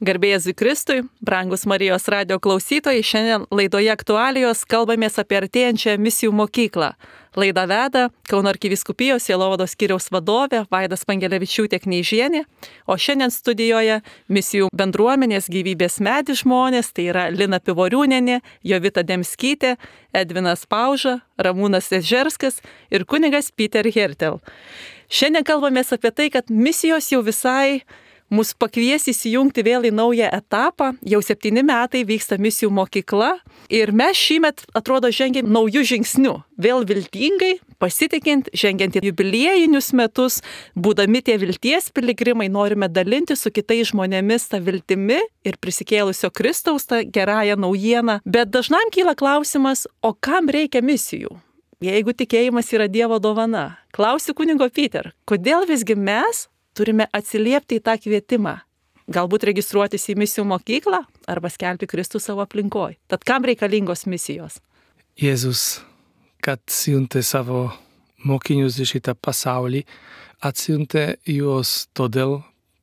Garbė Jėzui Kristui, brangus Marijos radijo klausytojai, šiandien laidoje aktualijos kalbamės apie artėjančią misijų mokyklą. Laidą veda Kauno arkivyskupijos sielovados skyriaus vadovė Vaida Spangelevičiūtė Kneižienė, o šiandien studijoje misijų bendruomenės Gyvybės medis žmonės, tai yra Lina Pivoriūnienė, Jovita Demskytė, Edvinas Pauža, Ramūnas Ežerskas ir kunigas Peter Hertel. Šiandien kalbamės apie tai, kad misijos jau visai mus pakvies įsijungti vėl į naują etapą. Jau 7 metai vyksta misijų mokykla ir mes šįmet, atrodo, žengiam naujų žingsnių. Vėl viltingai, pasitikint, žengiant į jubiliejinius metus, būdami tie vilties piligrimai, norime dalinti su kitais žmonėmis tą viltimi ir prisikėlusio Kristaus tą gerąją naujieną. Bet dažnam kyla klausimas, o kam reikia misijų? Jeigu tikėjimas yra Dievo dovana. Klausiu kunigo Peter, kodėl visgi mes turime atsiliepti į tą kvietimą, galbūt registruotis į misijų mokyklą arba skelbti Kristų savo aplinkoje. Tad kam reikalingos misijos? Jėzus, kad siuntė savo mokinius į šitą pasaulį, atsiuntė juos todėl,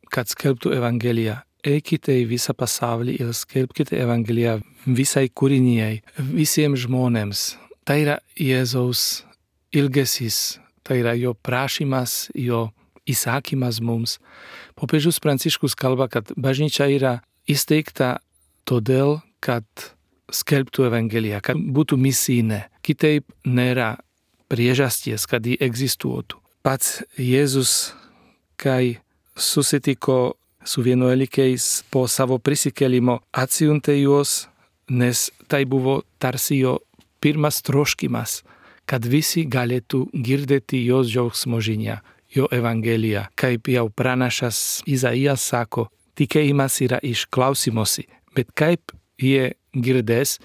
kad skelbtų Evangeliją. Eikite į visą pasaulį ir skelbkite Evangeliją visai kūrinijai, visiems žmonėms. Tai yra Jėzaus ilgesys, tai yra jo prašymas, jo įsakymas mums. Popiežius Pranciškus kalba, kad bažnyčia yra įsteigta todėl, kad skelbtų Evangeliją, kad būtų misijinė. Kitaip nėra priežasties, kad ji egzistuotų. Pats Jėzus, kai susitiko su vienuolikiais po savo prisikėlimo, atsiuntė juos, nes tai buvo tarsi jo pirmas troškimas, kad visi galėtų girdėti jos džiaugsmo žinią. Jo Evangelija, kaip jau pranašas Izaijas sako, tikėjimas yra iš klausimosi, bet kaip jie girdės,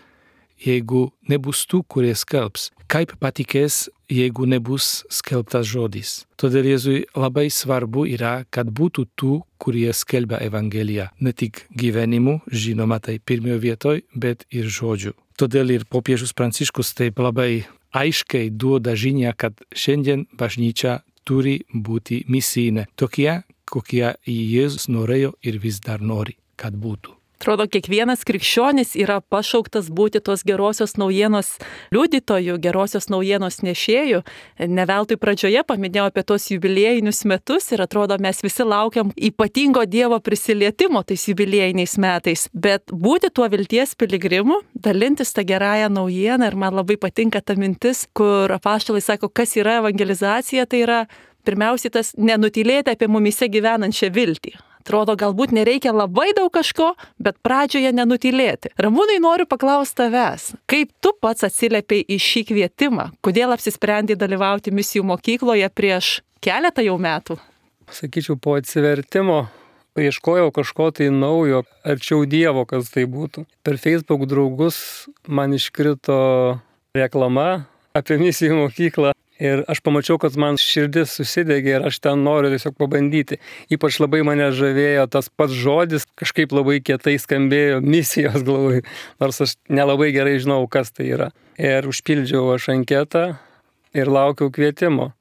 jeigu nebus tų, kurie skelbs, kaip patikės, jeigu nebus skelbtas žodis. Todėl Jėzui labai svarbu yra, kad būtų tų, kurie skelbia Evangeliją, ne tik gyvenimu, žinoma tai pirmoje vietoje, bet ir žodžiu. Todėl ir popiežius Pranciškus taip labai aiškiai duoda žinią, kad šiandien bažnyčia turi būti misijinė, tokie, kokie Jėzus norėjo ir vis dar nori, kad būtų. Atrodo, kiekvienas krikščionis yra pašauktas būti tos gerosios naujienos liudytojų, gerosios naujienos nešėjų. Ne veltui pradžioje paminėjau apie tos jubiliejinius metus ir atrodo, mes visi laukiam ypatingo Dievo prisilietimo tais jubiliejiniais metais. Bet būti tuo vilties piligrimu, dalintis tą gerąją naujieną, ir man labai patinka ta mintis, kur apaštalai sako, kas yra evangelizacija, tai yra pirmiausiai tas nenutylėti apie mumise gyvenančią viltį. Atrodo, galbūt nereikia labai daug kažko, bet pradžioje nenutylėti. Ramūnai, noriu paklausti tavęs, kaip tu pats atsiliepiai į šį kvietimą? Kodėl apsisprendei dalyvauti misijų mokykloje prieš keletą jau metų? Sakyčiau, po atsivertimo ieškojau kažko tai naujo, arčiau Dievo, kas tai būtų. Per Facebook draugus man iškrito reklama apie misijų mokyklą. Ir aš pamačiau, kad man širdis susidegė ir aš ten noriu tiesiog pabandyti. Ypač labai mane žavėjo tas pats žodis, kažkaip labai kietai skambėjo misijos, galvoju, nors aš nelabai gerai žinau, kas tai yra. Ir užpildžiau aš anketą ir laukiau kvietimo.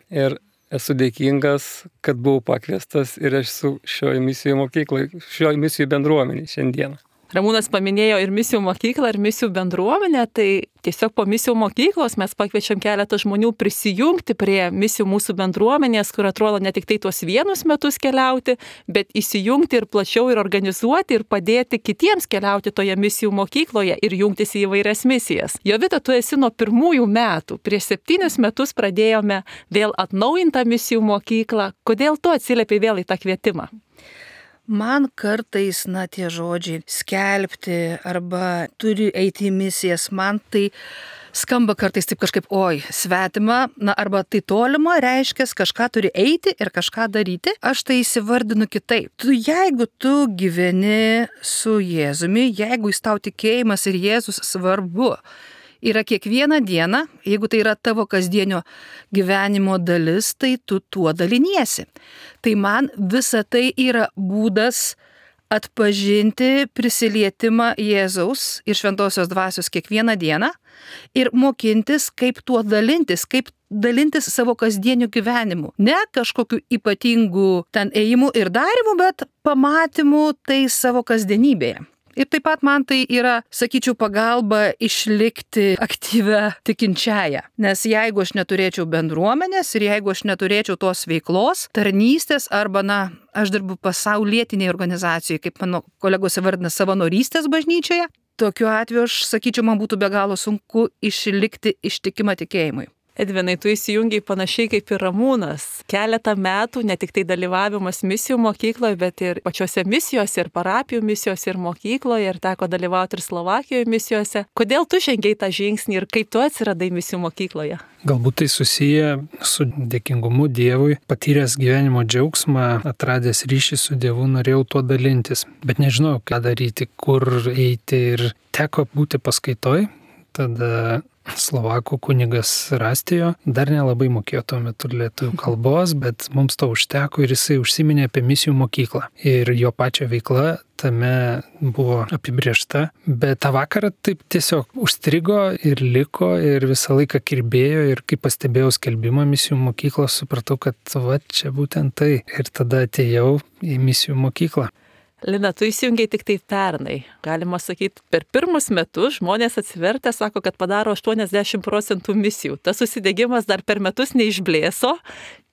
Ir esu dėkingas, kad buvau pakviestas ir aš esu šioje misijų mokykloje, šioje misijų bendruomenėje šiandieną. Ramūnas paminėjo ir misijų mokyklą, ir misijų bendruomenę, tai tiesiog po misijų mokyklos mes pakviečiam keletą žmonių prisijungti prie misijų mūsų bendruomenės, kur atrodo ne tik tai tuos vienus metus keliauti, bet įsijungti ir plačiau ir organizuoti ir padėti kitiems keliauti toje misijų mokykloje ir jungtis į įvairias misijas. Jovita, tu esi nuo pirmųjų metų, prieš 7 metus pradėjome vėl atnaujintą misijų mokyklą. Kodėl tu atsiliepi vėl į tą kvietimą? Man kartais, tie žodžiai skelbti arba turi eiti į misijas, man tai skamba kartais taip kažkaip, svetima, arba tai tolima, reiškia, kažką turi eiti ir kažką daryti. Aš tai įsivardinu kitaip. Jeigu tu gyveni su Jėzumi, jeigu jis tau tikėjimas ir Jėzus svarbu, yra kiekvieną dieną, jeigu tai yra tavo kasdienio gyvenimo dalis, tai tu tuo daliniesi. Tai man visa tai yra būdas atpažinti prisilietimą Jėzaus ir šventosios dvasios kiekvieną dieną ir mokintis, kaip tuo dalintis, kaip dalintis savo kasdieniu gyvenimu. Ne kažkokiu ypatingu ten ėjimu ir darimu, bet pamatymu tai savo kasdienybėje. Ir taip pat man tai yra, sakyčiau, pagalba išlikti aktyvę tikinčiąją. Nes jeigu aš neturėčiau bendruomenės ir jeigu aš neturėčiau tos veiklos, tarnystės arba, aš dirbu pasaulietinėje organizacijoje, kaip mano kolegos įvardina, savanorystės bažnyčioje, tokiu atveju aš sakyčiau, man būtų be galo sunku išlikti ištikimą tikėjimui. Edvinai, tu įsijungiai panašiai kaip ir Ramūnas. Keletą metų ne tik tai dalyvavimas misijų mokykloje, bet ir pačiose misijose, ir parapijų misijose, ir mokykloje, ir teko dalyvauti ir Slovakijoje misijose. Kodėl tu žengiai tą žingsnį ir kaip tu atsiradai misijų mokykloje? Galbūt tai susiję su dėkingumu Dievui, patyręs gyvenimo džiaugsmą, atradęs ryšį su Dievu, norėjau tuo dalintis, bet nežinojau, ką daryti, kur eiti ir teko būti paskaitoj. Tada Slovakų kunigas Rastijo dar nelabai mokėjo tuo metu lietuvių kalbos, bet mums to užteko ir jisai užsiminė apie misijų mokyklą. Ir jo pačio veikla tame buvo apibrėžta, bet tą vakarą taip tiesiog užstrigo ir liko ir visą laiką kirbėjo ir kai pastebėjau skelbimą misijų mokyklos, supratau, kad va čia būtent tai. Ir tada atėjau į misijų mokyklą. Lina, tu įsijungiai tik tai pernai. Galima sakyti, per pirmus metus žmonės atsivertę sako, kad padaro 80% misijų. Tas susidegimas dar per metus neišblėso.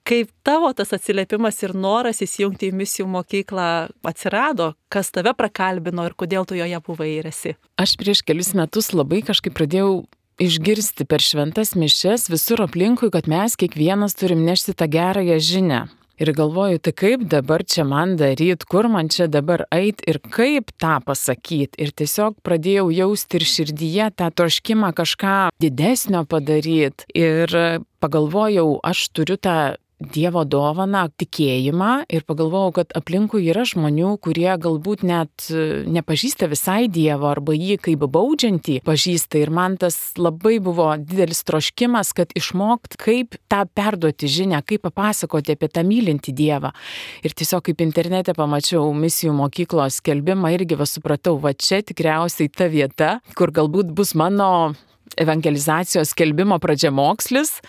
Kaip tavo tas atsiliepimas ir noras įsijungti į misijų mokyklą atsirado? Kas tave prakalbino ir kodėl tu joje buvai ir esi? Aš prieš kelius metus labai kažkaip pradėjau išgirsti per šventas mišias visur aplinkui, kad mes kiekvienas turim nešti tą gerąją žinią. Ir galvoju, tai kaip dabar čia man daryt, kur man čia dabar eit ir kaip tą pasakyt. Ir tiesiog pradėjau jausti ir širdyje tą troškimą kažką didesnio padaryt. Ir pagalvojau, aš turiu tą Dievo dovaną, tikėjimą ir pagalvojau, kad aplinkui yra žmonių, kurie galbūt net nepažįsta visai Dievo arba jį kaip baudžiantį pažįsta. Ir man tas labai buvo didelis troškimas, kad išmokt, kaip tą perduoti žinią, kaip papasakoti apie tą mylintį Dievą. Ir tiesiog kaip internete pamačiau misijų mokyklos skelbimą, irgi supratau, va čia tikriausiai ta vieta, kur galbūt bus mano evangelizacijos skelbimo pradžiamokslis,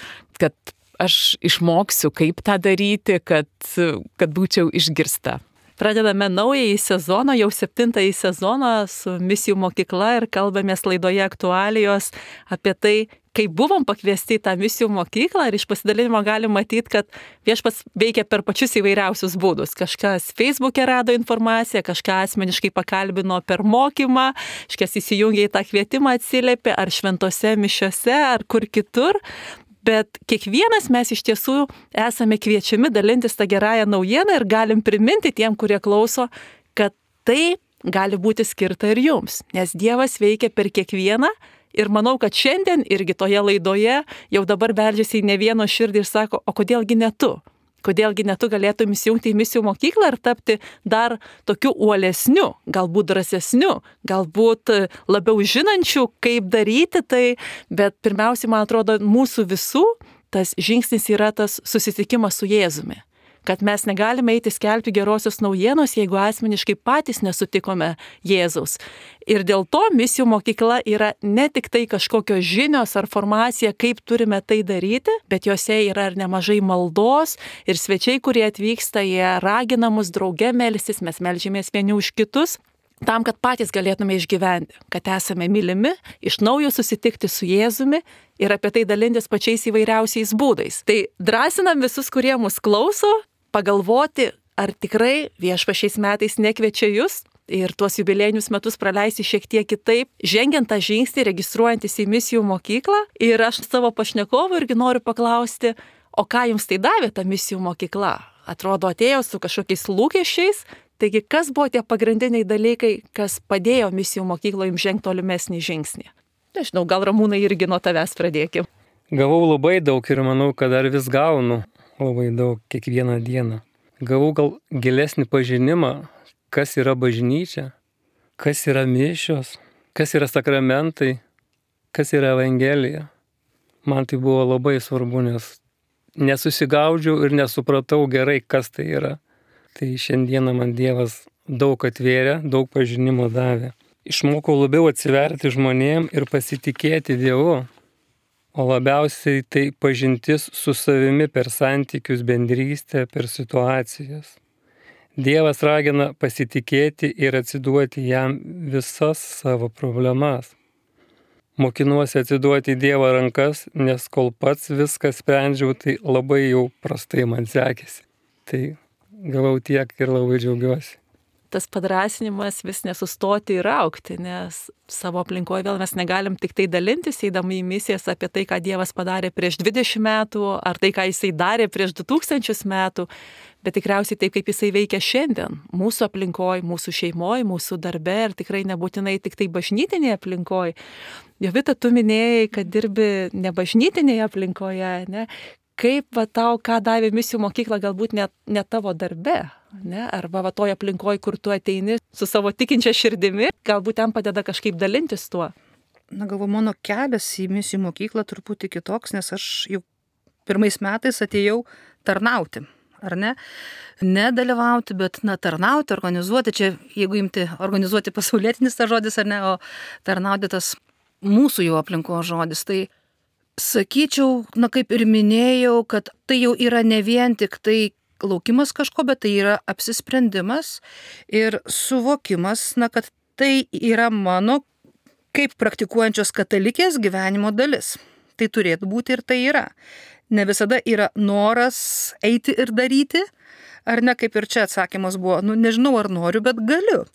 kad aš išmoksiu, kaip tą daryti, kad būčiau išgirsta. Pradedame naująjį sezoną, jau 7-ąjį sezoną su misijų mokykla ir kalbamės laidoje aktualijos apie tai, kaip buvom pakviesti į tą misijų mokyklą ir iš pasidalinimo galim matyti, kad Viešpats veikia per pačius įvairiausius būdus. Kažkas Facebook'e rado informaciją, kažką asmeniškai pakalbino per mokymą, kažkas įsijungė į tą kvietimą, atsiliepė ar šventose mišiose, ar kur kitur. Bet kiekvienas mes iš tiesų esame kviečiami dalintis tą gerąją naujieną ir galim priminti tiem, kurie klauso, kad tai gali būti skirta ir jums. Nes Dievas veikia per kiekvieną ir manau, kad šiandien irgi toje laidoje jau dabar beldžiasi į ne vieno širdį ir sako, o kodėlgi ne tu? Kodėlgi ne tu galėtum įsijungti į misijų mokyklą ir tapti dar tokiu uolesniu, galbūt drąsesniu, galbūt labiau žinančiu, kaip daryti tai, bet pirmiausiai, man atrodo, mūsų visų tas žingsnis yra tas susitikimas su Jėzumi. Kad mes negalime eiti skelbti gerosios naujienos, jeigu asmeniškai patys nesutikome Jėzaus. Ir dėl to misijų mokykla yra ne tik tai kažkokios žinios ar formacija, kaip turime tai daryti, bet jose yra ir nemažai maldos ir svečiai, kurie atvyksta, jie ragina mus drauge melstis, mes melžiamės vieni už kitus, tam, kad patys galėtume išgyventi, kad esame mylimi, iš naujo susitikti su Jėzumi ir apie tai dalintis pačiais įvairiausiais būdais. Tai drąsinam visus, kurie mus klauso, pagalvoti, ar tikrai Viešpats šiais metais nekviečia jūs ir tuos jubiliejinius metus praleisti šiek tiek kitaip, žengiant tą žingsnį, registruojantis į misijų mokyklą. Ir aš savo pašnekovų irgi noriu paklausti, o ką jums tai davė ta misijų mokykla? Atrodo, atėjo su kažkokiais lūkesčiais, taigi kas buvo tie pagrindiniai dalykai, kas padėjo misijų mokykloje jums žengti tolimesnį žingsnį? Nežinau, gal Ramūnai irgi nuo tavęs pradėkim. Gavau labai daug ir manau, kad dar vis gaunu labai daug kiekvieną dieną. Gavau gal gilesnį pažinimą, kas yra bažnyčia, kas yra mišios, kas yra sakramentai, kas yra evangelija. Man tai buvo labai svarbu, nes nesusigaudžiau ir nesupratau gerai, kas tai yra. Tai šiandieną man Dievas daug atvėrė, daug pažinimo davė. Išmokau labiau atsiverti žmonėm ir pasitikėti Dievu, o labiausiai tai pažintis su savimi per santykius, bendrystę, per situacijas. Dievas ragina pasitikėti ir atsiduoti jam visas savo problemas. Mokinuosi atsiduoti į Dievo rankas, nes kol pats viską sprendžiau, tai labai jau prastai man sekėsi. Tai gavau tiek ir labai džiaugiuosi. Tas padrasinimas vis nesustoti ir augti, nes savo aplinkoje vėl mes negalim tik tai dalintis, eidami į misijas apie tai, ką Dievas padarė prieš 20 metų, ar tai, ką Jisai darė prieš 2000 metų, bet tikriausiai taip, kaip Jisai veikia šiandien, mūsų aplinkoje, mūsų šeimoje, mūsų darbe ir tikrai nebūtinai tik tai bažnytinėje aplinkoje. Jovita, tu minėjai, kad dirbi ne bažnytinėje aplinkoje, ne? Kaip tau, ką davė misijų mokykla, galbūt ne tavo darbe, ne? Arba toje aplinkoje, kur tu ateini su savo tikinčia širdimi, galbūt ten padeda kažkaip dalintis tuo. Galvoju, mano kelias į misijų mokyklą truputį kitoks, nes aš jau pirmais metais atėjau tarnauti, ar ne? Nedalyvauti, bet tarnauti, organizuoti, čia jeigu imti organizuoti pasaulietinis tas žodis, ar ne, o tarnauti tas mūsų jau aplinko žodis, tai sakyčiau, kaip ir minėjau, kad tai jau yra ne vien tik tai laukimas kažko, bet tai yra apsisprendimas ir suvokimas, kad tai yra mano kaip praktikuojančios katalikės gyvenimo dalis. Tai turėtų būti ir tai yra. Ne visada yra noras eiti ir daryti, ar ne, kaip ir čia atsakymas buvo, nežinau ar noriu, bet galiu,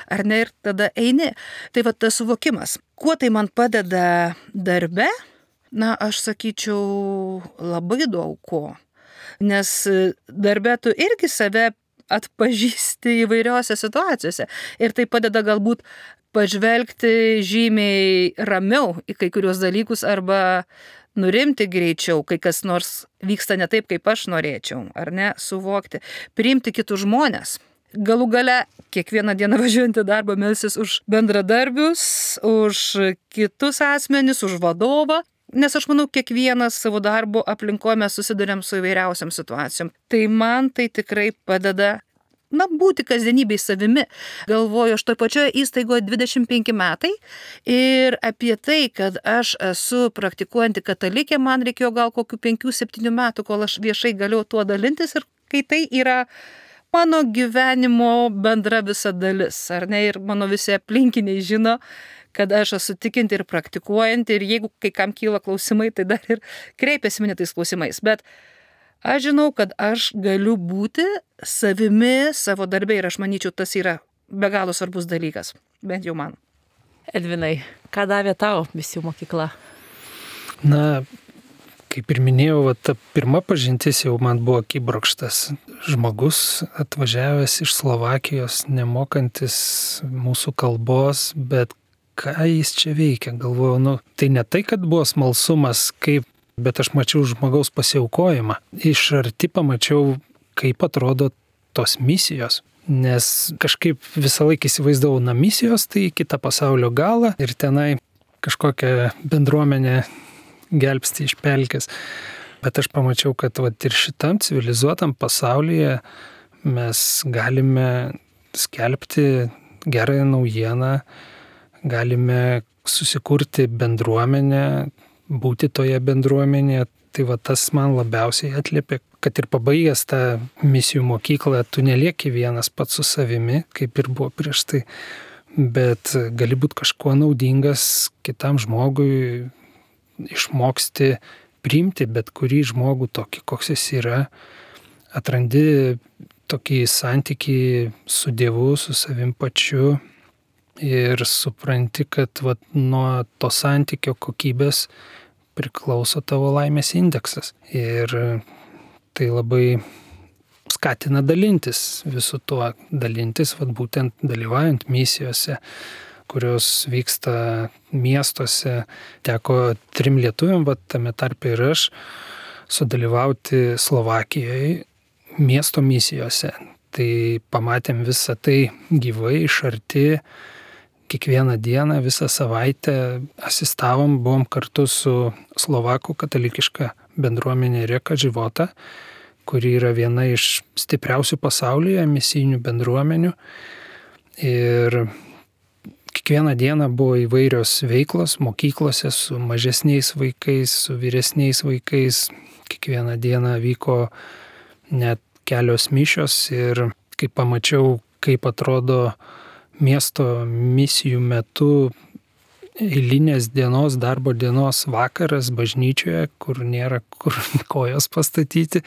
ar ne, ir tada eini. Tai tas suvokimas. Kuo tai man padeda darbe? Aš sakyčiau labai daug ko, nes darbe tu irgi save atpažįsti įvairiose situacijose ir tai padeda galbūt pažvelgti žymiai ramiau į kai kurios dalykus arba nurimti greičiau, kai kas nors vyksta ne taip, kaip aš norėčiau, ar ne, suvokti, priimti kitus žmones. Galų gale, kiekvieną dieną važiuojant į darbą melsis už bendradarbius, už kitus asmenis, už vadovą. Nes aš manau, kiekvienas savo darbo aplinkoje mes susidurėm su įvairiausiam situacijom. Tai man tai tikrai padeda, būti kasdienybėj savimi. Galvoju, aš toj pačioje įstaigoje 25 metai ir apie tai, kad aš esu praktikuojanti katalikė, man reikėjo gal kokių 5-7 metų, kol aš viešai galėjau tuo dalintis ir kai tai yra mano gyvenimo bendra visa dalis, ar ne, ir mano visi aplinkiniai žino, kad aš esu tikinti ir praktikuojanti ir jeigu kai kam kyla klausimai, tai dar ir kreipiasi mane tais klausimais. Bet aš žinau, kad aš galiu būti savimi savo darbe ir aš manyčiau, tas yra be galo svarbus dalykas, bent jau man. Edvinai, ką davė tau misijų mokykla? Kaip ir minėjau, ta pirma pažintis jau man buvo akibrokštas. Žmogus atvažiavęs iš Slovakijos, nemokantis mūsų kalbos, bet ką jis čia veikia, galvoju, tai ne tai, kad buvo smalsumas, bet aš mačiau žmogaus pasiaukojimą. Iš arti pamačiau, kaip atrodo tos misijos, nes kažkaip visą laiką įsivaizdavau, misijos tai kitą pasaulio galą ir tenai kažkokią bendruomenę gelbsti iš pelkės. Bet aš pamačiau, kad ir šitam civilizuotam pasaulyje mes galime skelbti gerąją naujieną, galime susikurti bendruomenę, būti toje bendruomenėje. Tai tas man labiausiai atliepia, kad ir pabaigęs tą misijų mokyklą, tu nelieki vienas pats su savimi, kaip ir buvo prieš tai, bet gali būti kažkuo naudingas kitam žmogui, išmoksti priimti bet kurį žmogų tokį, koks jis yra, atrandi tokį santykį su Dievu, su savim pačiu ir supranti, kad nuo to santykio kokybės priklauso tavo laimės indeksas. Ir tai labai skatina dalintis visu tuo, būtent dalyvaujant misijose, kurios vyksta miestuose. Teko 3 lietuviam, tame tarpe ir aš, sudalyvauti Slovakijoje miesto misijose. Tai pamatėm visą tai gyvai, iš arti, kiekvieną dieną, visą savaitę asistavom, buvom kartu su Slovakų katalikiška bendruomenė Reka Života, kuri yra viena iš stipriausių pasaulyje misijinių bendruomenių. Ir kiekvieną dieną buvo įvairios veiklos mokyklose su mažesniais vaikais, su vyresniais vaikais. Kiekvieną dieną vyko net kelios mišios ir kai pamačiau, kaip atrodo miesto misijų metu eilinės dienos, darbo dienos vakaras bažnyčioje, kur nėra kur kojos pastatyti.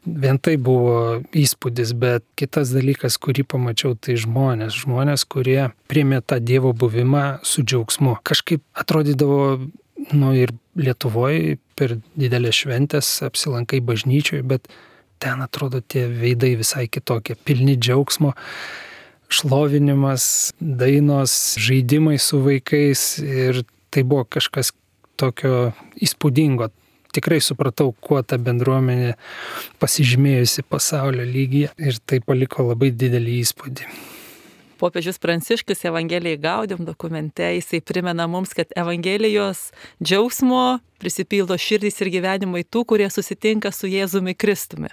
Vien tai buvo įspūdis, bet kitas dalykas, kurį pamačiau, tai žmonės, kurie priėmė tą Dievo buvimą su džiaugsmu. Kažkaip atrodydavo, ir Lietuvoje per didelės šventės apsilankai bažnyčioje, bet ten atrodo tie veidai visai kitokie, pilni džiaugsmo. Šlovinimas, dainos, žaidimai su vaikais ir tai buvo kažkas tokio įspūdingo. Tikrai supratau, kuo ta bendruomenė pasižymėjusi pasaulio lygyje ir tai paliko labai didelį įspūdį. Popiežius Pranciškus Evangelijai Gaudium dokumente, jisai primena mums, kad Evangelijos džiaugsmo prisipildo širdys ir gyvenimai tų, kurie susitinka su Jėzumi Kristumi.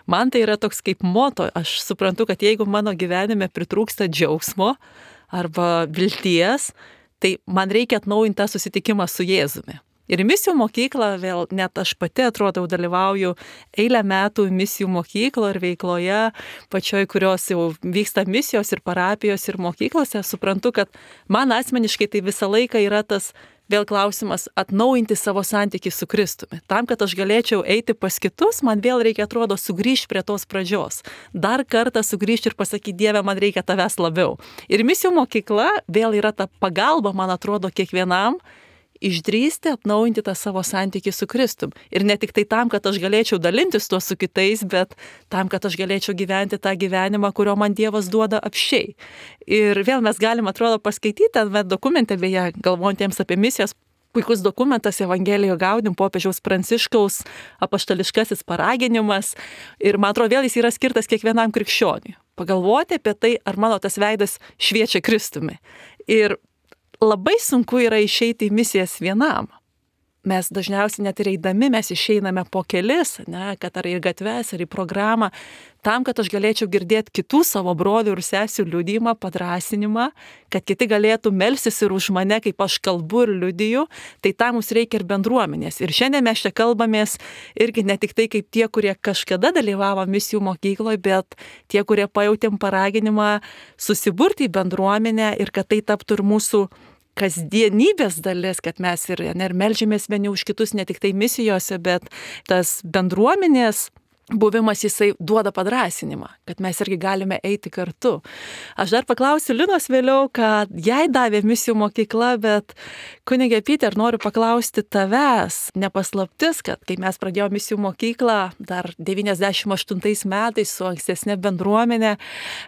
Man tai yra toks kaip moto, aš suprantu, kad jeigu mano gyvenime pritrūksta džiaugsmo arba vilties, tai man reikia atnaujinti tą susitikimą su Jėzumi. Ir misijų mokykla, vėl net aš pati atrodo dalyvauju eilę metų misijų mokyklo ir veikloje, pačioj, kurios jau vyksta misijos ir parapijos ir mokyklose, suprantu, kad man asmeniškai tai visą laiką yra tas vėl klausimas atnaujinti savo santykį su Kristumi. Tam, kad aš galėčiau eiti pas kitus, man vėl reikia, atrodo, sugrįžti prie tos pradžios. Dar kartą sugrįžti ir pasakyti, Dieve, man reikia tavęs labiau. Ir misijų mokykla vėl yra ta pagalba, man atrodo, kiekvienam išdrįsti atnaujinti tą savo santykį su Kristum. Ir ne tik tai tam, kad aš galėčiau dalintis tuo su kitais, bet tam, kad aš galėčiau gyventi tą gyvenimą, kurio man Dievas duoda apsčiai. Ir vėl mes galim, atrodo, paskaityti tame dokumente, beje, galvojantiems apie misijas, puikus dokumentas Evangelijoje Gaudium, popiežiaus Pranciškaus apaštališkasis paraginimas. Ir man atrodo, vėl jis yra skirtas kiekvienam krikščioniui. Pagalvoti apie tai, ar mano tas veidas šviečia Kristumi. Ir labai sunku yra išeiti į misijas vienam. Mes dažniausiai net ir eidami, mes išeiname po kelis, kad ar į gatves, ar į programą, tam, kad aš galėčiau girdėti kitų savo brolių ir sesių liudijimą, padrasinimą, kad kiti galėtų melstis ir už mane, kaip aš kalbu ir liudiju, tai tam mums reikia ir bendruomenės. Ir šiandien mes čia kalbamės irgi ne tik tai kaip tie, kurie kažkada dalyvavo misijų mokykloje, bet tie, kurie pajautėm paraginimą susiburti į bendruomenę ir kad tai taptų ir mūsų kasdienybės dalis, kad mes ir meldžiamės vieni už kitus ne tik tai misijose, bet tas bendruomenės buvimas jisai duoda padrasinimą, kad mes irgi galime eiti kartu. Aš dar paklausiu Linos vėliau, kad jai davė misijų mokykla, bet kunigė Piter, noriu paklausti tavęs, nepaslaptis, kad kai mes pradėjome misijų mokyklą dar 98 metais su ankstesnė bendruomenė,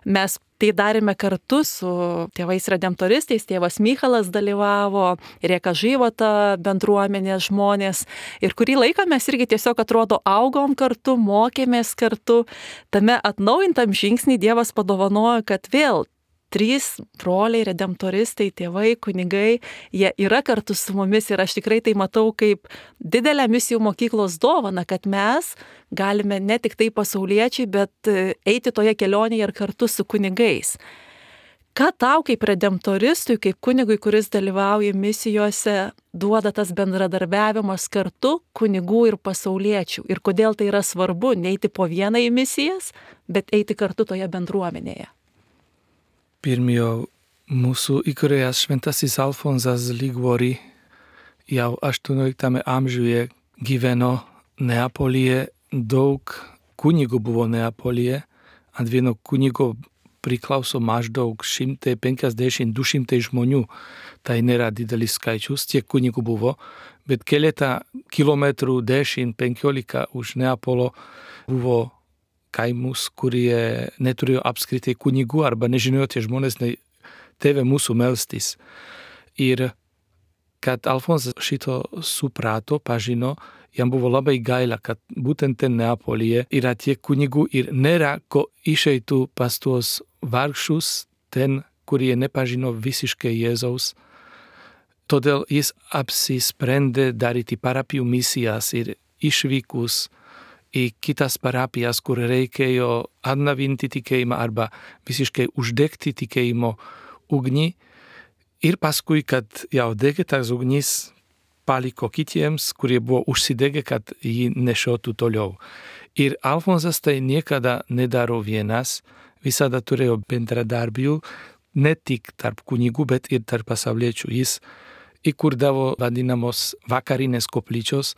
mes tai darėme kartu su tėvais redemptoristais, tėvas Mychalas dalyvavo, Rieka Žyvota bendruomenės žmonės. Ir kurį laiką mes irgi tiesiog atrodo augom kartu, mokėmės kartu. Tame atnaujintam žingsnį Dievas padovanojo, kad vėl 3 broliai redemptoristai, tėvai, kunigai, jie yra kartu su mumis ir aš tikrai tai matau kaip didelę misijų mokyklos dovaną, kad mes galime ne tik tai pasauliečiai, bet eiti toje kelionėje ir kartu su kunigais. Ką tau kaip redemptoristui, kaip kunigui, kuris dalyvauja misijose, duoda tas bendradarbiavimas kartu kunigų ir pasauliečių? Ir kodėl tai yra svarbu neiti po vieną į misijas, bet eiti kartu toje bendruomenėje? Pirmiejo mūsų įkūrėjas šventasis Alfonsas Liguori jau 18 amžiuje gyveno Neapolyje, daug kunigų buvo Neapolyje, ant vieno kunigo priklauso maždaug 150-200 žmonių. Tai nėra didelis skaičius, tiek kunigų buvo, bet keletą kilometrų 10-15 už Neapolo buvo kaimus, kurie neturėjo apskritai kunigų arba nežinojo tie žmonės, tėvė mūsų melstis. Ir kad Alfonsas šito suprato, pažino, jam buvo labai gaila, kad būtent ten Neapolyje yra tiek kunigų ir nėra ko išeitų pas tuos vargšus, ten, kurie nepažino visiškai Jėzaus. Todėl jis apsisprendė daryti parapijų misijas ir išvykus į kitas parapijas, kur reikėjo atnavinti tikėjimą arba visiškai uždegti tikėjimo ugnį. Ir paskui, kad jau degė tas ugnis, paliko kitiems, kurie buvo užsidegę, kad jį nešiotų toliau. Ir Alfonsas tai niekada nedaro vienas, visada turėjo bendradarbių, ne tik tarp kunigų, bet ir tarp pasauliečių. Jis įkurdavo vadinamos vakarinės koplyčios,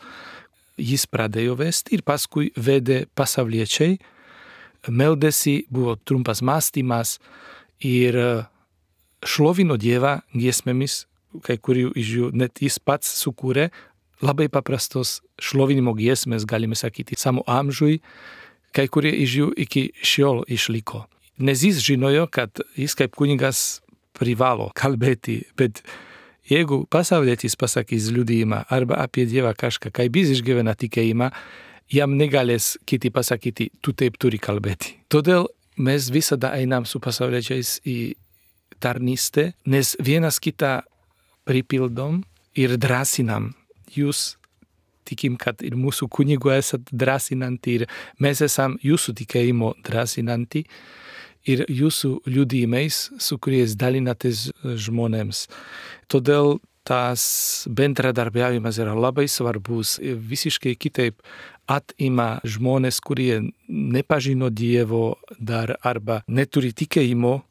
jis pradėjo vesti ir paskui vedė pasauliečiai, meldėsi, buvo trumpas mąstymas ir šlovino Dievą giesmėmis, kai kurių iš jų net jis pats sukūrė, labai paprastos šlovinimo giesmės, galime sakyti, savo amžiui, kai kurie iš jų iki šiol išliko. Nes jis žinojo, kad jis kaip kunigas privalo kalbėti, bet jeigu pasaulietis pasakys liudijimą arba apie Dievą kažką, kaip jis išgyvena tikėjimą, jam negalės kiti pasakyti, tu taip turi kalbėti. Todėl mes visada einam su pasauliečiais į tarnystę, nes vienas kitą pripildom ir drąsinam. Jūs tikim, kad ir mūsų kunigų esat drąsinanti ir mes esam jūsų tikėjimo drąsinanti ir jūsų liudijimais, su kuriais dalinatės žmonėms. Todėl tas bendradarbiavimas yra labai svarbus. Visiškai kitaip atima žmonės, kurie nepažino Dievo dar arba neturi tikėjimo,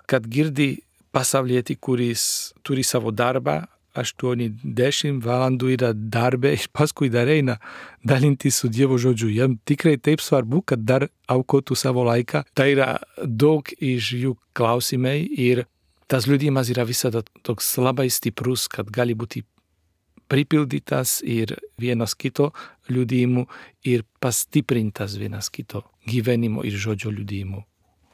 kad girdi pasaulietį, kuris turi savo darbą, 8-10 valandų yra darbė ir paskui dar eina dalintis su Dievo žodžiu. Jam tikrai taip svarbu, kad dar aukotų savo laiką. Tai yra daug iš jų klausimai ir tas liudijimas yra visada toks labai stiprus, kad gali būti pripildytas ir vienas kito liudijimu ir pastiprintas vienas kito gyvenimo ir žodžio liudijimu.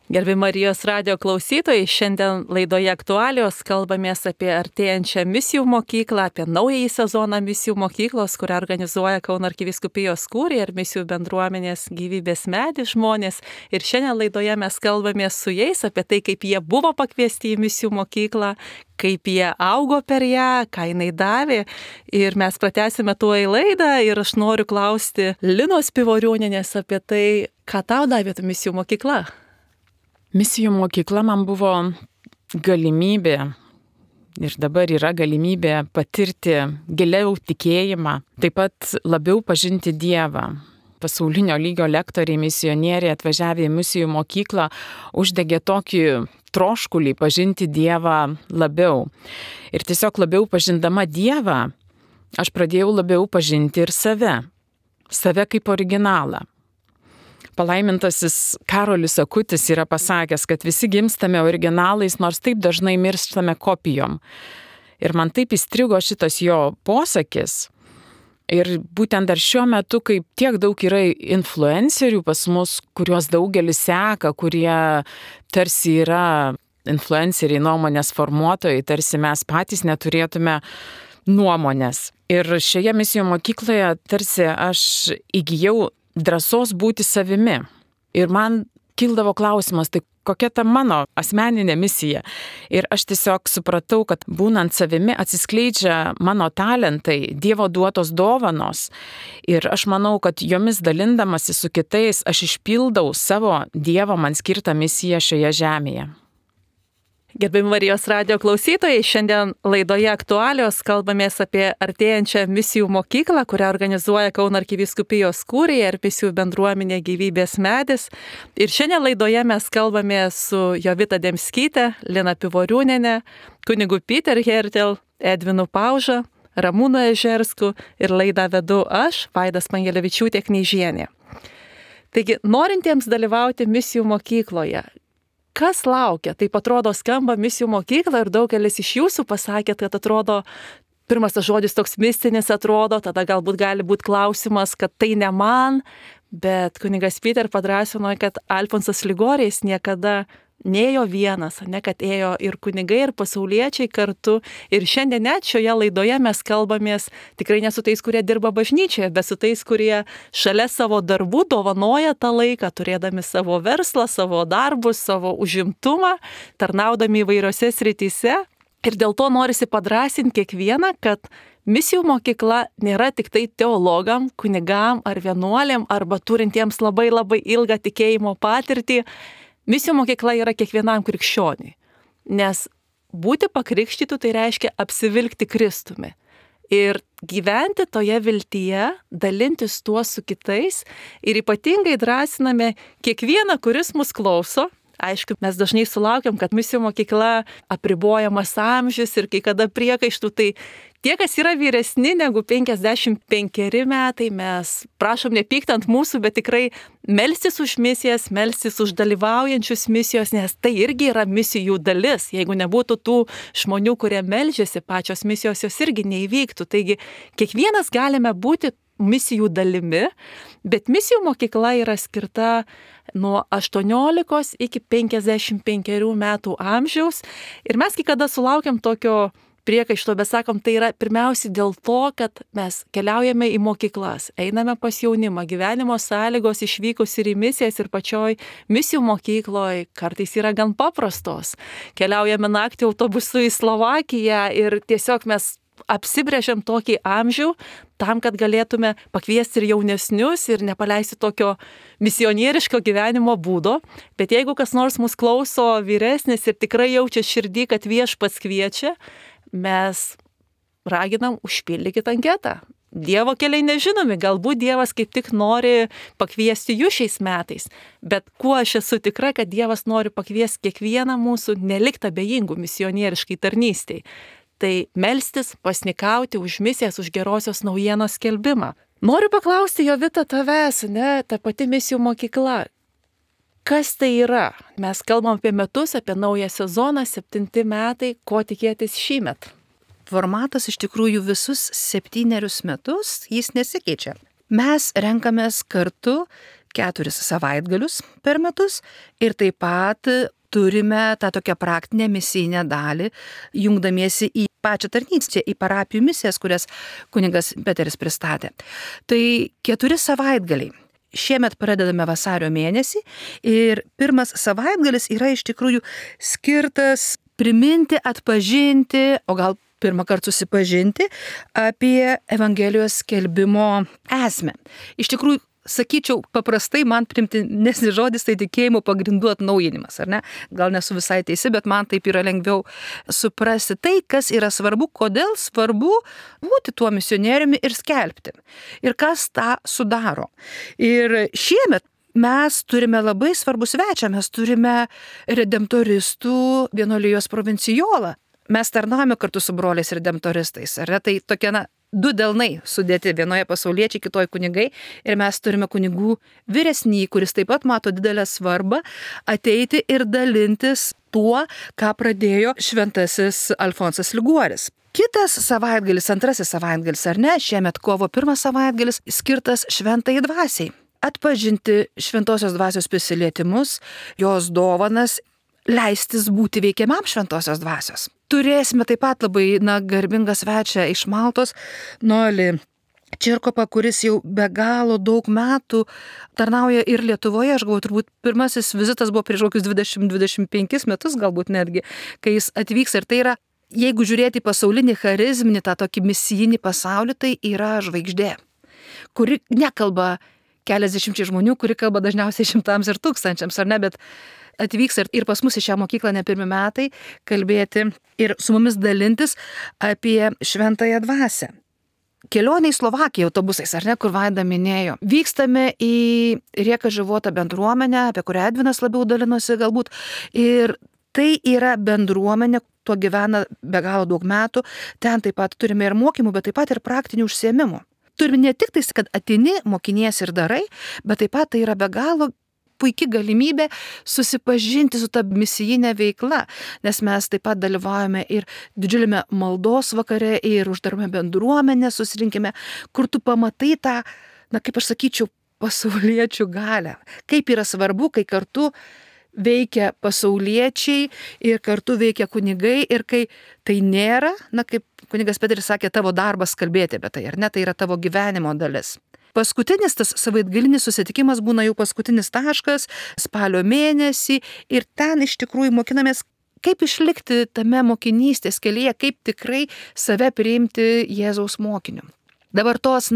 Gerbiami Marijos radijo klausytojai, šiandien laidoje aktualijos kalbamės apie artėjančią misijų mokyklą, apie naująjį sezoną misijų mokyklos, kurią organizuoja Kauno arkivyskupijos kūrija ir misijų bendruomenės Gyvybės medis žmonės. Ir šiandien laidoje mes kalbamės su jais apie tai, kaip jie buvo pakviesti į misijų mokyklą, kaip jie augo per ją, ką jinai davė. Ir mes pratęsime tuo į laidą ir aš noriu klausti Linos Pivoriūnienės apie tai, ką tau davė ta misijų mokykla. Misijų mokykla man buvo galimybė ir dabar yra galimybė patirti giliau tikėjimą, taip pat labiau pažinti Dievą. Pasaulinio lygio lektoriai, misionieriai atvažiavę į misijų mokyklą uždegė tokį troškulį pažinti Dievą labiau. Ir tiesiog labiau pažindama Dievą, aš pradėjau labiau pažinti ir save kaip originalą. Palaimintasis Karolis Akutis yra pasakęs, kad visi gimstame originalais, nors taip dažnai mirštame kopijom. Ir man taip įstrigo šitas jo posakis. Ir būtent dar šiuo metu, kai tiek daug yra influencerių pas mus, kuriuos daugelis seka, kurie tarsi yra influenceriai, nuomonės formuotojai, tarsi mes patys neturėtume nuomonės. Ir šioje misijų mokykloje tarsi aš įgijau drąsos būti savimi. Ir man kildavo klausimas, tai kokia ta mano asmeninė misija. Ir aš tiesiog supratau, kad būnant savimi atsiskleidžia mano talentai, Dievo duotos dovanos. Ir aš manau, kad jomis dalindamasi su kitais, aš išpildau savo Dievo man skirtą misiją šioje žemėje. Gerbiami Marijos radijo klausytojai, šiandien laidoje aktualijos kalbamės apie artėjančią misijų mokyklą, kurią organizuoja Kauno arkivyskupijos kūrija ir misijų bendruomenė Gyvybės medis. Ir šiandien laidoje mes kalbamės su Jovita Demskyte, Lina Pivoriūniene, kunigu Peter Hertel, Edvinu Pauža, Ramūnu Ežersku ir laidą vedu aš, Vaidas Pangelevičiūtė Kneižienė. Taigi, norintiems dalyvauti misijų mokykloje, kas laukia? Taip atrodo skamba misijų mokykla ir daugelis iš jūsų pasakėt, kad atrodo, pirmas tas žodis toks mistinis atrodo, tada galbūt gali būti klausimas, kad tai ne man, bet kunigas Peter padrąsino, kad Alfonsas Ligorijas niekada neėjo vienas, ne kad ėjo ir kunigai, ir pasauliečiai kartu. Ir šiandien net šioje laidoje mes kalbamės tikrai ne su tais, kurie dirba bažnyčioje, bet su tais, kurie šalia savo darbų dovanoja tą laiką, turėdami savo verslą, savo darbus, savo užimtumą, tarnaudami įvairiose srityse. Ir dėl to norisi padrąsinti kiekvieną, kad misijų mokykla nėra tik tai teologam, kunigam ar vienuoliam arba turintiems labai labai ilgą tikėjimo patirtį. Misijų mokykla yra kiekvienam krikščioniui, nes būti pakrikštytų tai reiškia apsivilkti Kristumi. Ir gyventi toje viltyje, dalintis tuo su kitais ir ypatingai drąsiname kiekvieną, kuris mus klauso. Aišku, mes dažnai sulaukiam, kad misijų mokykla apribojamas amžius ir kai kada priekaištų, tai tie, kas yra vyresni negu 55 metai, mes prašom nepykti ant mūsų, bet tikrai melstis už misijas, melstis už dalyvaujančius misijos, nes tai irgi yra misijų dalis. Jeigu nebūtų tų žmonių, kurie meldžiasi, pačios misijos jos irgi neįvyktų. Taigi kiekvienas galime būti misijų dalimi, bet misijų mokykla yra skirta nuo 18 iki 55 metų amžiaus. Ir mes kai kada sulaukiam tokio priekaišto, bet sakom, tai yra pirmiausiai dėl to, kad mes keliaujame į mokyklas, einame pas jaunimą, gyvenimo sąlygos išvykus ir į misijas ir pačioj misijų mokykloje kartais yra gan paprastos. Keliaujame naktį autobusu į Slovakiją ir tiesiog mes apsibrėžiam tokį amžių tam, kad galėtume pakviesti ir jaunesnius ir nepaleisti tokio misionieriško gyvenimo būdo. Bet jeigu kas nors mus klauso vyresnis ir tikrai jaučia širdį, kad Viešpats kviečia, mes raginam užpildykit anketą. Dievo keliai nežinomi, galbūt Dievas kaip tik nori pakviesti jūs šiais metais, bet kuo aš esu tikra, kad Dievas nori pakviesti kiekvieną mūsų nelikti abejingų misionieriškai tarnystei. Tai melstis, pasnikauti už misijas, už gerosios naujienos skelbimą. Noriu paklausti, Jovita, tavęs, ta pati misijų mokykla. Kas tai yra? Mes kalbam apie metus, apie naują sezoną, 7 metai, ko tikėtis šįmet? Formatas iš tikrųjų visus 7 metus, jis nesikeičia. Mes renkamės kartu 4 savaitgalius per metus ir taip pat turime tą tokią praktinę misijinę dalį, jungdamiesi į pačią tarnystę, į parapijų misijas, kurias kunigas Peteris pristatė. Tai 4 savaitgaliai. Šiemet pradedame vasario mėnesį ir pirmas savaitgalis yra iš tikrųjų skirtas priminti, atpažinti, o gal pirmą kartą susipažinti apie Evangelijos skelbimo esmę. Iš tikrųjų, sakyčiau, paprastai man primtinesnis žodis tai tikėjimo pagrindų atnaujinimas, ar ne? Gal nesu visai teisi, bet man taip yra lengviau suprasti tai, kas yra svarbu, kodėl svarbu būti tuo misionieriumi ir skelbti. Ir kas tą sudaro. Ir šiemet mes turime labai svarbų svečią, mes turime redemptoristų vienuolijos provincijolą. Mes tarnaujame kartu su broliais redemptoristais, ar ne? Tai tokie, 2 delnai sudėti, vienoje pasauliečiai, kitoje kunigai, ir mes turime kunigų vyresnį, kuris taip pat mato didelę svarbą ateiti ir dalintis tuo, ką pradėjo šventasis Alfonsas Liguoris. Kitas savaitgalis, antrasis savaitgalis, ar ne, šiemet kovo 1 savaitgalis skirtas šventai dvasiai. Atpažinti šventosios dvasios prisilietimus, jos dovanas, leistis būti veikiamam šventosios dvasios. Turėsime taip pat labai garbingą svečią iš Maltos, Noelį Čirkopą, kuris jau be galo daug metų tarnauja ir Lietuvoje. Aš galvoju, turbūt pirmasis vizitas buvo prieš kokius 20-25 metus, galbūt netgi, kai jis atvyks. Ir tai yra, jeigu žiūrėti pasaulinį charizminį, tą tokį misijinį pasaulį, tai yra žvaigždė, kuri nekalba keliasdešimčiai žmonių, kuri kalba dažniausiai šimtams ir tūkstančiams, ar ne, bet atvyks ir pas mus į šią mokyklą ne pirmi metai kalbėti ir su mumis dalintis apie šventąją dvasią. Kelionė į Slovakiją autobusais, ar ne, kur Vaida minėjo. Vykstame į Rieka Života bendruomenę, apie kurią Edvinas labiau dalinosi galbūt. Ir tai yra bendruomenė, tuo gyvena be galo daug metų. Ten taip pat turime ir mokymų, bet taip pat ir praktinių užsiėmimų. Turime ne tik tai, kad ateini, mokinies ir darai, bet taip pat tai yra be galo puikia galimybė susipažinti su ta misijinė veikla, nes mes taip pat dalyvaujame ir didžiuliame maldos vakare, ir uždarome bendruomenę, susirinkime, kur tu pamatai tą, kaip aš sakyčiau, pasauliečių galią. Kaip yra svarbu, kai kartu veikia pasauliečiai ir kartu veikia kunigai, ir kai tai nėra, kaip kunigas Peteris sakė, tavo darbas kalbėti apie tai, ar ne, tai yra tavo gyvenimo dalis. Paskutinis tas savaitgalinis susitikimas būna jau paskutinis taškas spalio mėnesį ir ten iš tikrųjų mokinamės kaip išlikti tame mokinystės kelyje, kaip tikrai save priimti Jėzaus mokiniu. Dabar tos,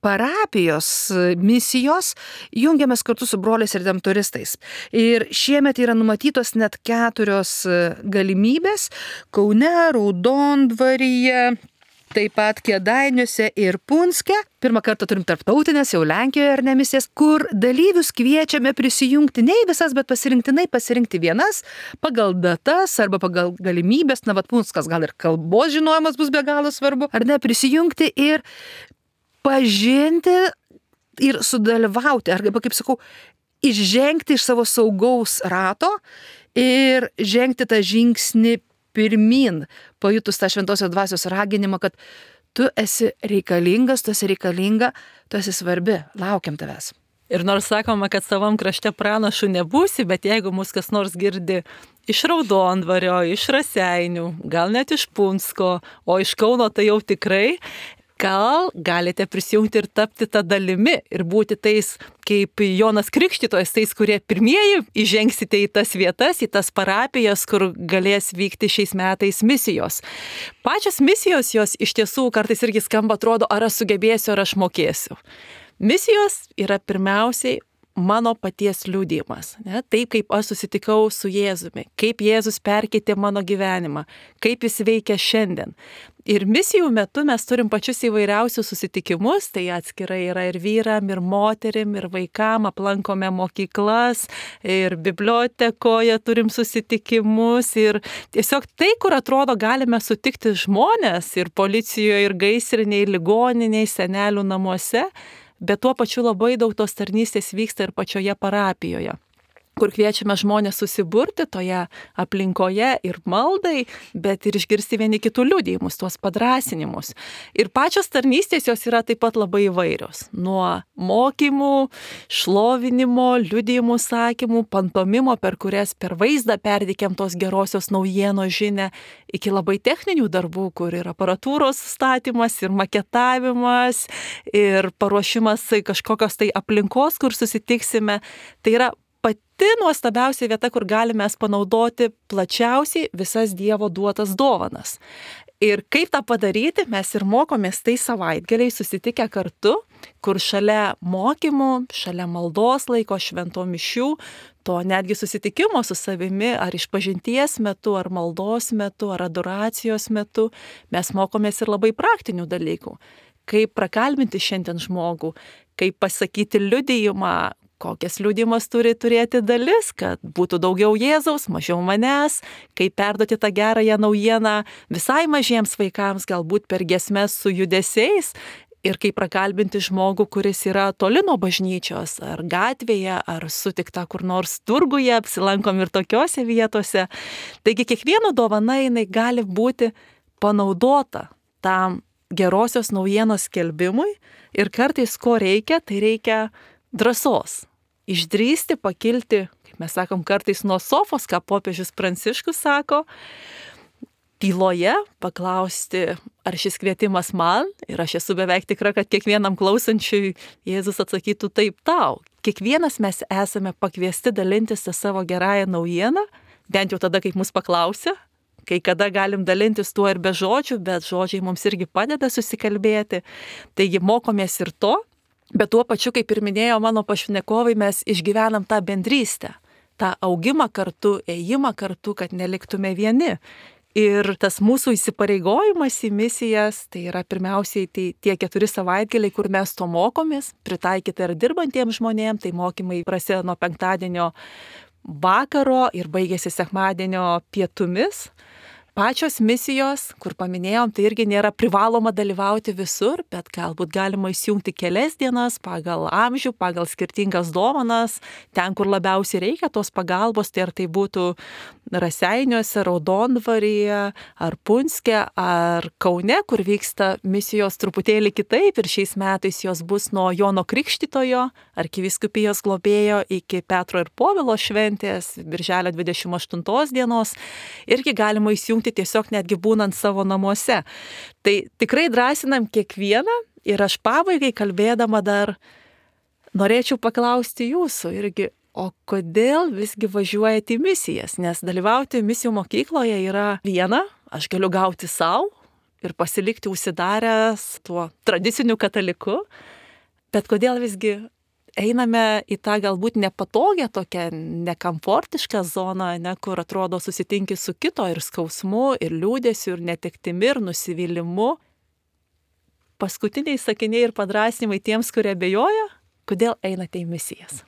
parapijos misijos jungiamės kartu su broliais redemptoristais. Ir šiemet yra numatytos net 4 galimybės - Kaune, Raudondvaryje, taip pat Kėdainiuose ir Punske. Pirmą kartą turim tarptautinės, jau Lenkijoje ar ne misijas, kur dalyvius kviečiame prisijungti ne į visas, bet pasirinkti vienas pagal datas arba pagal galimybės. Punskas gal ir kalbos žinojimas bus be galo svarbu. Ar ne, prisijungti ir pažinti ir sudalyvauti. Arba, kaip sakau, išžengti iš savo saugaus rato ir žengti tą žingsnį pirmin, pajutus tą šventosios dvasios raginimą, kad tu esi reikalingas, tu esi reikalinga, tu esi svarbi, laukiam tavęs. Ir nors sakoma, kad savam krašte pranašų nebūsi, bet jeigu mus kas nors girdi iš Raudondvario, iš Raseinių, gal net iš Punsko, o iš Kauno tai jau tikrai, gal galite prisijungti ir tapti tą dalimi ir būti tais, kaip Jonas Krikštytojas, tais, kurie pirmieji įžengsite į tas vietas, į tas parapijas, kur galės vykti šiais metais misijos. Pačios misijos jos iš tiesų kartais irgi skamba, atrodo, ar aš sugebėsiu, ar aš mokėsiu. Misijos yra pirmiausiai mano paties liudijimas. Ne? Taip, kaip aš susitikau su Jėzumi, kaip Jėzus perkeitė mano gyvenimą, kaip jis veikia šiandien. Ir misijų metu mes turim pačius įvairiausius susitikimus, tai atskirai yra ir vyram, ir moterim, ir vaikam, aplankome mokyklas, ir bibliotekoje turim susitikimus, ir tiesiog tai, kur atrodo galime sutikti žmonės, ir policijoje, ir gaisriniai, ligoniniai, senelių namuose, bet tuo pačiu labai daug tos tarnystės vyksta ir pačioje parapijoje, kur kviečiame žmonės susiburti toje aplinkoje ir maldai, bet ir išgirsti vieni kitų liudijimus, tuos padrąsinimus. Ir pačios tarnystės jos yra taip pat labai įvairios. Nuo mokymų, šlovinimo, liudijimų sakymų, pantomimo, per kurias per vaizdą perdikėm tos gerosios naujienos žinią, iki labai techninių darbų, kur ir aparatūros statymas, ir maketavimas, ir paruošimas kažkokios tai aplinkos, kur susitiksime. Tai yra pati nuostabiausia vieta, kur galime panaudoti plačiausiai visas Dievo duotas dovanas. Ir kaip tą padaryti, mes ir mokomės tai savaitgaliai susitikę kartu, kur šalia mokymų, šalia maldos laiko, švento mišių, to netgi susitikimo su savimi, ar išpažinties metu, ar maldos metu, ar adoracijos metu, mes mokomės ir labai praktinių dalykų. Kaip prakalbinti šiandien žmogų, kaip pasakyti liudijimą, kokias liudijimas turi turėti dalis, kad būtų daugiau Jėzaus, mažiau manęs, kaip perduoti tą gerąją naujieną visai mažiems vaikams, galbūt per giesmes su judesiais, ir kaip prakalbinti žmogų, kuris yra toli nuo bažnyčios, ar gatvėje, ar sutikta kur nors turguje, apsilankom ir tokiose vietose. Taigi kiekvieno dovana jinai gali būti panaudota tam gerosios naujienos skelbimui, ir kartais ko reikia, tai reikia drąsos. Išdrįsti pakilti, kaip mes sakom, kartais nuo sofos, ką popiežius Pranciškus sako, tyloje paklausti, ar šis kvietimas man, ir aš esu beveik tikra, kad kiekvienam klausančiui Jėzus atsakytų taip tau. Kiekvienas mes esame pakviesti dalintis tą savo gerąją naujieną, bent jau tada, kaip mus paklausia. Kai kada galim dalintis tuo ir be žodžių, bet žodžiai mums irgi padeda susikalbėti. Taigi mokomės ir to. Bet tuo pačiu, kaip ir minėjo mano pašnekovai, mes išgyvenam tą bendrystę, tą augimą kartu, ėjimą kartu, kad neliktume vieni. Ir tas mūsų įsipareigojimas į misijas, tai yra pirmiausiai tie 4 savaitgaliai, kur mes to mokomės, pritaikyti ir dirbantiems žmonėms, tai mokymai prasideda nuo penktadienio vakaro ir baigėsi sekmadienio pietumis. Pačios misijos, kur paminėjom, tai irgi nėra privaloma dalyvauti visur, bet galbūt galima įsijungti kelias dienas pagal amžių, pagal skirtingas dovanas, ten, kur labiausiai reikia tos pagalbos, tai ar tai būtų Raseiniuose, Raudondvaryje, ar Punske, ar Kaune, kur vyksta misijos truputėlį kitaip, ir šiais metais jos bus nuo Jono Krikštytojo, arkivyskupijos globėjo, iki Petro ir Povilo šventės, birželio 28 dienos, irgi galima įsijungti tiesiog netgi būnant savo namuose. Tai tikrai drąsinam kiekvieną, ir aš pabaigai kalbėdama dar norėčiau paklausti jūsų irgi, o kodėl visgi važiuojate į misijas? Nes dalyvauti misijų mokykloje yra viena, aš galiu gauti savo ir pasilikti užsidaręs tuo tradiciniu kataliku, bet kodėl visgi einame į tą galbūt nepatogią, tokią nekomfortišką zoną, kur atrodo susitinki su kito ir skausmu, ir liūdėsiu, ir netektimi, ir nusivylimu. Paskutiniai sakiniai ir padrasnimai tiems, kurie abejoja, kodėl einate į misijas?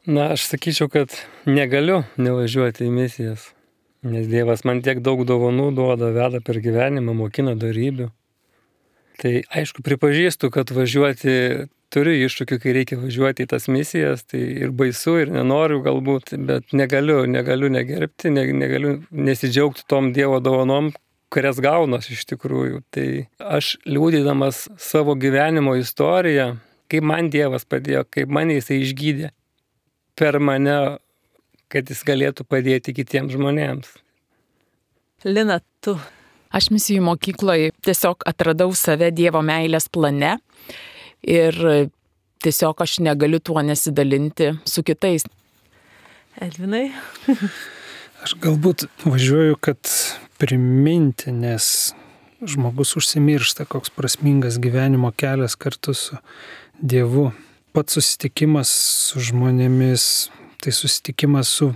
Na, aš sakyčiau, kad negaliu nevažiuoti į misijas, nes Dievas man tiek daug dovanų duoda, veda per gyvenimą, mokina dorybių. Tai aišku, pripažįstu, kad važiuoti turiu iššūkių, kai reikia važiuoti į tas misijas, tai ir baisu, ir nenoriu galbūt, bet negaliu negerbti, negaliu nesidžiaugti tom Dievo dovanom, kurias gaunas iš tikrųjų. Tai aš liūdydamas savo gyvenimo istoriją, kaip man Dievas padėjo, kaip mane Jisai išgydė per mane, kad Jis galėtų padėti kitiems žmonėms. Lina, tu? Aš misijų mokykloje tiesiog atradau save Dievo meilės plane ir tiesiog aš negaliu tuo nesidalinti su kitais. Edvinai? Aš galbūt važiuoju, kad priminti, nes žmogus užsimiršta, koks prasmingas gyvenimo kelias kartu su Dievu. Pats susitikimas su žmonėmis, tai susitikimas su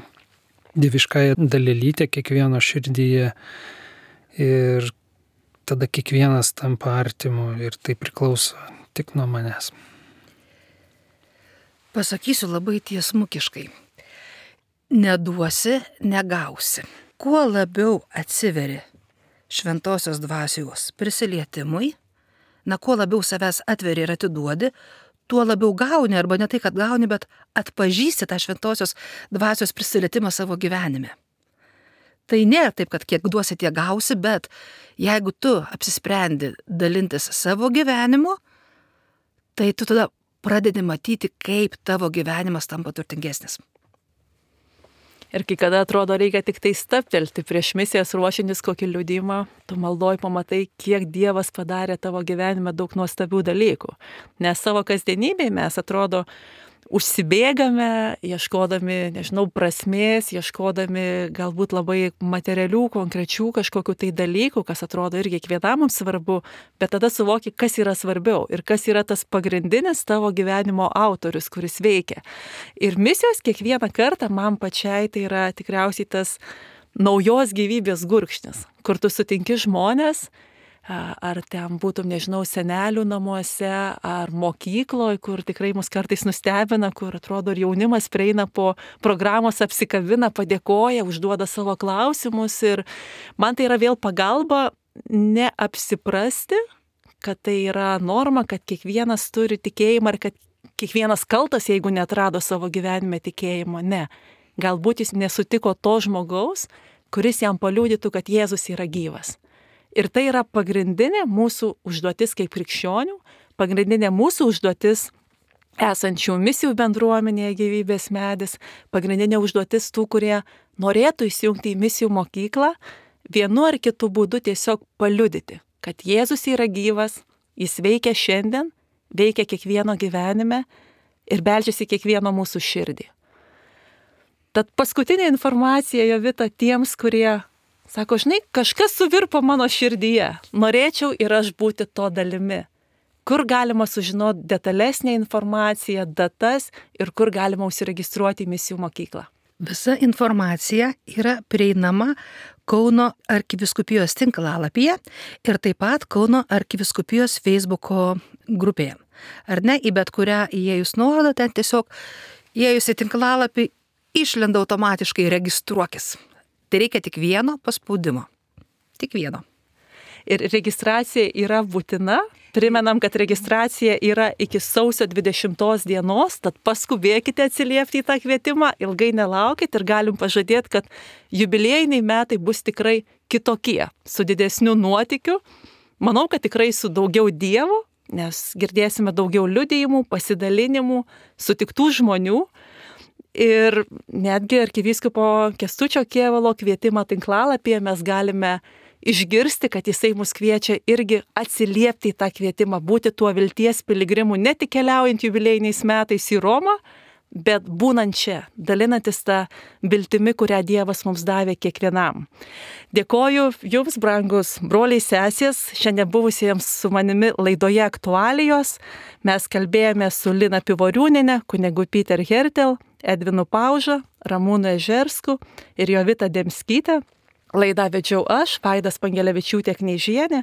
dieviškąja dalelytė kiekvieno širdyje ir tada kiekvienas tampa artimu ir tai priklauso tik nuo manęs. Pasakysiu labai tiesmukiškai. Neduosi, negausi. Kuo labiau atsiveri šventosios dvasios prisilietimui, kuo labiau savęs atveri ir atiduodi, tuo labiau gauni, arba ne tai, kad gauni, bet atpažįsti tą šventosios dvasios prisilietimą savo gyvenime. Tai nėra taip, kad kiek duosi, tiek gausi, bet jeigu tu apsisprendi dalintis savo gyvenimu, tai tu tada pradedi matyti, kaip tavo gyvenimas tampa turtingesnis. Ir kai kada atrodo reikia tik tai stabtelti prieš misijas ruošintis kokį liudijimą, tu maldoj pamatai, kiek Dievas padarė tavo gyvenime daug nuostabių dalykų. Nes savo kasdienybėje mes atrodo užsibėgame, ieškodami, prasmės, ieškodami galbūt labai materialių, konkrečių kažkokių tai dalykų, kas atrodo irgi kiekvienam mums svarbu, bet tada suvoki, kas yra svarbiau ir kas yra tas pagrindinis tavo gyvenimo autorius, kuris veikia. Ir misijos kiekvieną kartą man pačiai tai yra tikriausiai tas naujos gyvybės gurkšnis, kur tu sutinki žmonės, ar ten būtum, senelių namuose, ar mokykloje, kur tikrai mus kartais nustebina, kur atrodo ir jaunimas prieina po programos, apsikabina, padėkoja, užduoda savo klausimus ir man tai yra vėl pagalba neapsiprasti, kad tai yra norma, kad kiekvienas turi tikėjimą ir kad kiekvienas kaltas, jeigu neatrado savo gyvenime tikėjimo. Ne. Galbūt jis nesutiko to žmogaus, kuris jam paliudytų, kad Jėzus yra gyvas. Ir tai yra pagrindinė mūsų užduotis kaip krikščionių, pagrindinė mūsų užduotis esančių misijų bendruomenėje Gyvybės medis, pagrindinė užduotis tų, kurie norėtų įsijungti į misijų mokyklą, vienu ar kitu būdu tiesiog paliudyti, kad Jėzus yra gyvas, jis veikia šiandien, veikia kiekvieno gyvenime ir beldžiasi kiekvieno mūsų širdį. Tad paskutinė informacija, Jovita, tiems, kurie sako, kažkas suvirpo mano širdyje, norėčiau ir aš būti to dalimi. Kur galima sužinoti detalesnę informaciją, datas ir kur galima užsiregistruoti į misijų mokyklą? Visa informacija yra prieinama Kauno arkivyskupijos tinklalapyje ir taip pat Kauno arkivyskupijos Facebooko grupėje. Ar ne, į bet kurią įėjus nuorodą, ten tiesiog įėjus į tinklalapį išlenda automatiškai registruokis. Tai reikia tik vieno paspaudimo. Tik vieno. Ir registracija yra būtina. Primenam, kad registracija yra iki sausio 20 dienos, tad paskubėkite atsiliepti į tą kvietimą, ilgai nelaukit ir galim pažadėti, kad jubiliejiniai metai bus tikrai kitokie, su didesniu nuotykiu. Manau, kad tikrai su daugiau Dievo, nes girdėsime daugiau liudijimų, pasidalinimų, sutiktų žmonių. Ir netgi arkivyskupo Kęstučio Kėvalo kvietimą tinklalapyje mes galime išgirsti, kad jisai mus kviečia irgi atsiliepti į tą kvietimą, būti tuo vilties piligrimu, ne tik keliaujant jubiliejiniais metais į Romą, bet būnant čia, dalinantis tą viltimi, kurią Dievas mums davė kiekvienam. Dėkoju Jums, brangus broliai sesės, šiandien buvusiems su manimi laidoje aktualijos. Mes kalbėjome su Lina Pivoriūnienė, kunigu Peter Hertel, Edvinu Pauža, Ramūnu Ežersku ir Jovita Demskytė. Laidą vedžiau aš, Vaida Spangelevičiūtė Kneižienė,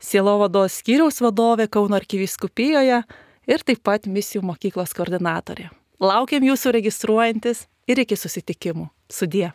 Sielovados skyriaus vadovė Kauno arkivyskupijoje ir taip pat misijų mokyklos koordinatorė. Laukiam jūsų registruojantis ir iki susitikimų. Sudie.